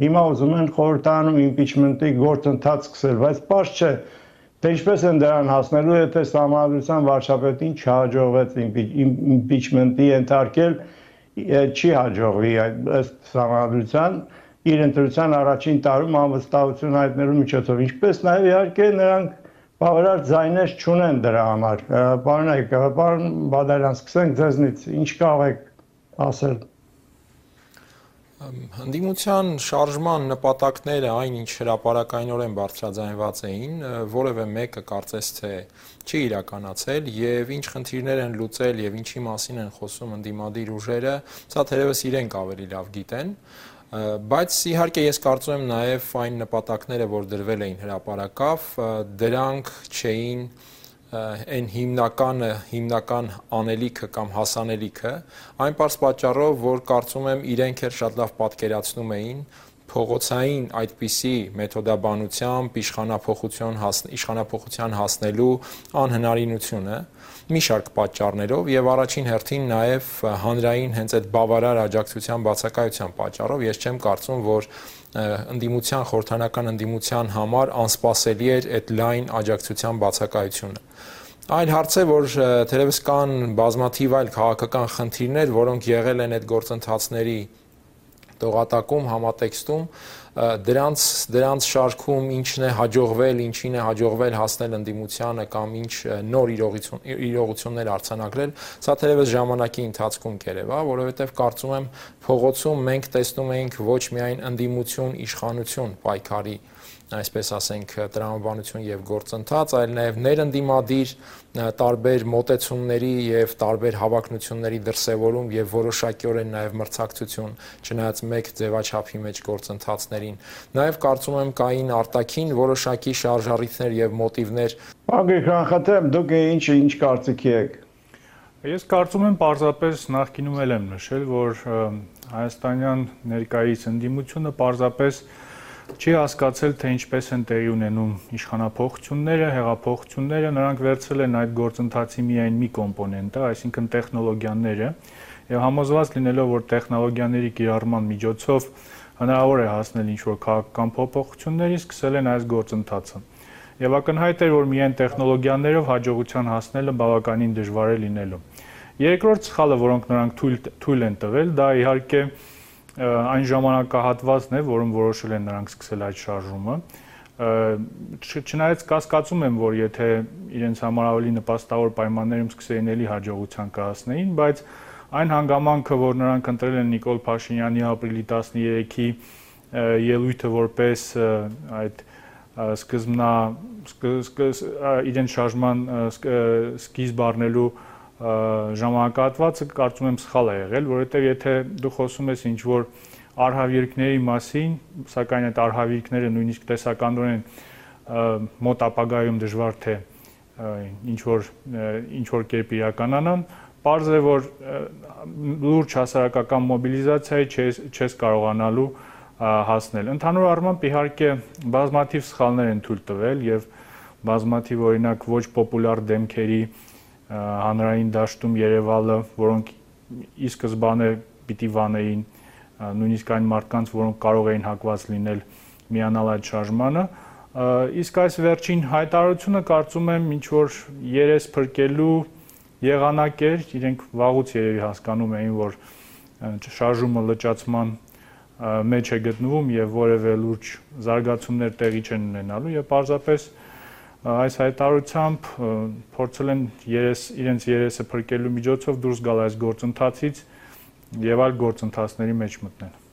Հիմա ուզում են խորհրդարանում impeachment-ի գործընթաց սկսել, բայց պարզ չէ, թե ինչպես են դրան հասնելու, եթե Սահմանադրության վարչապետին չհաջողվեց impeachment-ի ենթարկել, չի հաջողվի ըստ Սահմանադրության իր ընտրության առաջին տարում անվստահություն հայտնելու միջոցով, ինչպես նաև իհարկե նրանք բավարար ձայներ չունեն դրա համար։ Պարոն Բադալյան, սկսենք ձեզնից, ինչ կարող եք ասել։ Ընդդիմության շարժման նպատակները, այն ինչ հրապարակայնորեն բարձրաձայնված էին, որևէ մեկը կարծես թե չի իրականացել եւ ինչ խնդիրներ են լուծել եւ ինչի մասին են խոսում ընդդիմադիր ուժերը, սա թերևս իրենք ավելի լավ գիտեն, բայց իհարկե ես կարծում եմ նաեւ այն նպատակները, որ դրվել էին հրապարակավ, դրանք չէին այն հիմնական անելիքը կամ հասանելիքը, այն պարզ պատճառով, որ կարծում եմ իրենք էլ շատ լավ պատկերացնում էին փողոցային այդպիսի մեթոդաբանությամբ իշխանափոխության հասնելու անհնարինությունը մի շարք պատճառներով եւ առաջին հերթին նաեւ հանրային հենց այդ բավարար աջակցության բացակայության պատճառով ես չեմ կարծում, որ խորհրդարանական ընդդիմության համար անսպասելի էր այդ լայն աջակցության բացակայությունը։ Այլ հարց է, որ թերևս կան բազմաթիվ այլ քաղաքական խնդիրներ, որոնք եղել են այդ գործընթացների տողատակում, համատեքստում, դրանց շարքում ինչն է հաջողվել, ինչին է հաջողվել հասնել ընդդիմությանը կամ ինչ նոր իրողություններ արձանագրել, սա թերևս ժամանակի ընթացքում կերևա, որովհետև կարծում եմ փողոցում մենք տեսնում էինք ոչ միայն ընդդիմություն, իշխանություն պայքարի, այսպես ասենք, տրամաբանություն եւ գործընթաց, այլ նաեւ ներընդդիմադիր տարբեր մոտեցումների եւ տարբեր հավակնությունների դրսեւորում եւ որոշակիորեն նաեւ մրցակցություն, չնայած մեկ ձևաչափի մեջ գործընթացներին։ Նաեւ կարծում եմ կային արտաքին որոշակի շարժառիթներ եւ մոտիվներ։ Պարոն Գրիգորյան, դուք ինչ կարծիքի եք։ Ես կարծում եմ պարզապես նախկինում էլ եմ նշել, որ հայաստանյան ներկայիս ընդդիմությունը պարզապես չի հասկացել, թե ինչպես են տեղի ունենում իշխանափոխությունները, հեղափոխությունները, նրանք վերցրել են այդ գործընթացի միայն մի կոմպոնենտը, այսինքն տեխնոլոգիաները, եւ համոզված լինելով, որ տեխնոլոգիաների կիրառման միջոցով հնարավոր է հասնել ինչ-որ քաղաքական փոփոխությունների, սկսել են այս գործընթացը։ Եվ ակնհայտ է, որ միայն տեխնոլոգիաներով հաջողության հասնելը բավականին դժվար է լինելու։ Երկրորդ սխալը, որոնք նրանք թույլ են տվել, դա իհարկե այն ժամանակահատվածն է, որում որոշել են նրանք սկսել այդ շարժումը, չնայած կասկածում եմ, որ եթե իրենց համար ավելի նպաստավոր պայմաններում սկսեին էլի հաջողության կհասնեին, բայց այն հանգամանքը, որ նրանք ընտրել են Նիկոլ Փաշինյանի ապրիլի 13-ի ելույթը որպես այդ իրենց շարժման սկիզբ առնելու ժամանակահատվածը կարծում եմ սխալ է եղել, որովհետև եթե դու խոսում ես ինչ-որ արհավիրքների մասին, սակայն այդ արհավիրքները նույնիսկ տեսականորեն մոտ ապագայում դժվար թե ինչ-որ կերպ իրականանան, պարզ է, որ լուրջ հասարակական մոբիլիզացիայի չես կարողանալու հասնել։ Ընդհանուր առմամբ իհարկե բազմաթիվ սխալներ են թույլ տվել եւ բազմաթիվ օրինակ ոչ պոպուլյար դեմքերի հանրային դաշտում երևալը, որոնք ի սկզբանե պիտի վանեին նույնիսկ այն մարդկանց, որոնք կարող էին հակված լինել միանալ այդ շարժմանը, իսկ այս վերջին հայտարարությունը կարծում եմ ինչ-որ երես փրկելու եղանակ էր, իրենք վաղուց երևի հասկանում էին, որ շարժումը լճացման մեջ է գտնվում եւ որևէ լուրջ զարգացումներ տեղի չեն ունենալու եւ պարզապես այս հայտարարությամբ փորձել են իրենց երեսը փրկելու միջոցով դուրս գալ այս գործընթացից եւ այլ գործընթացների մեջ մտնել։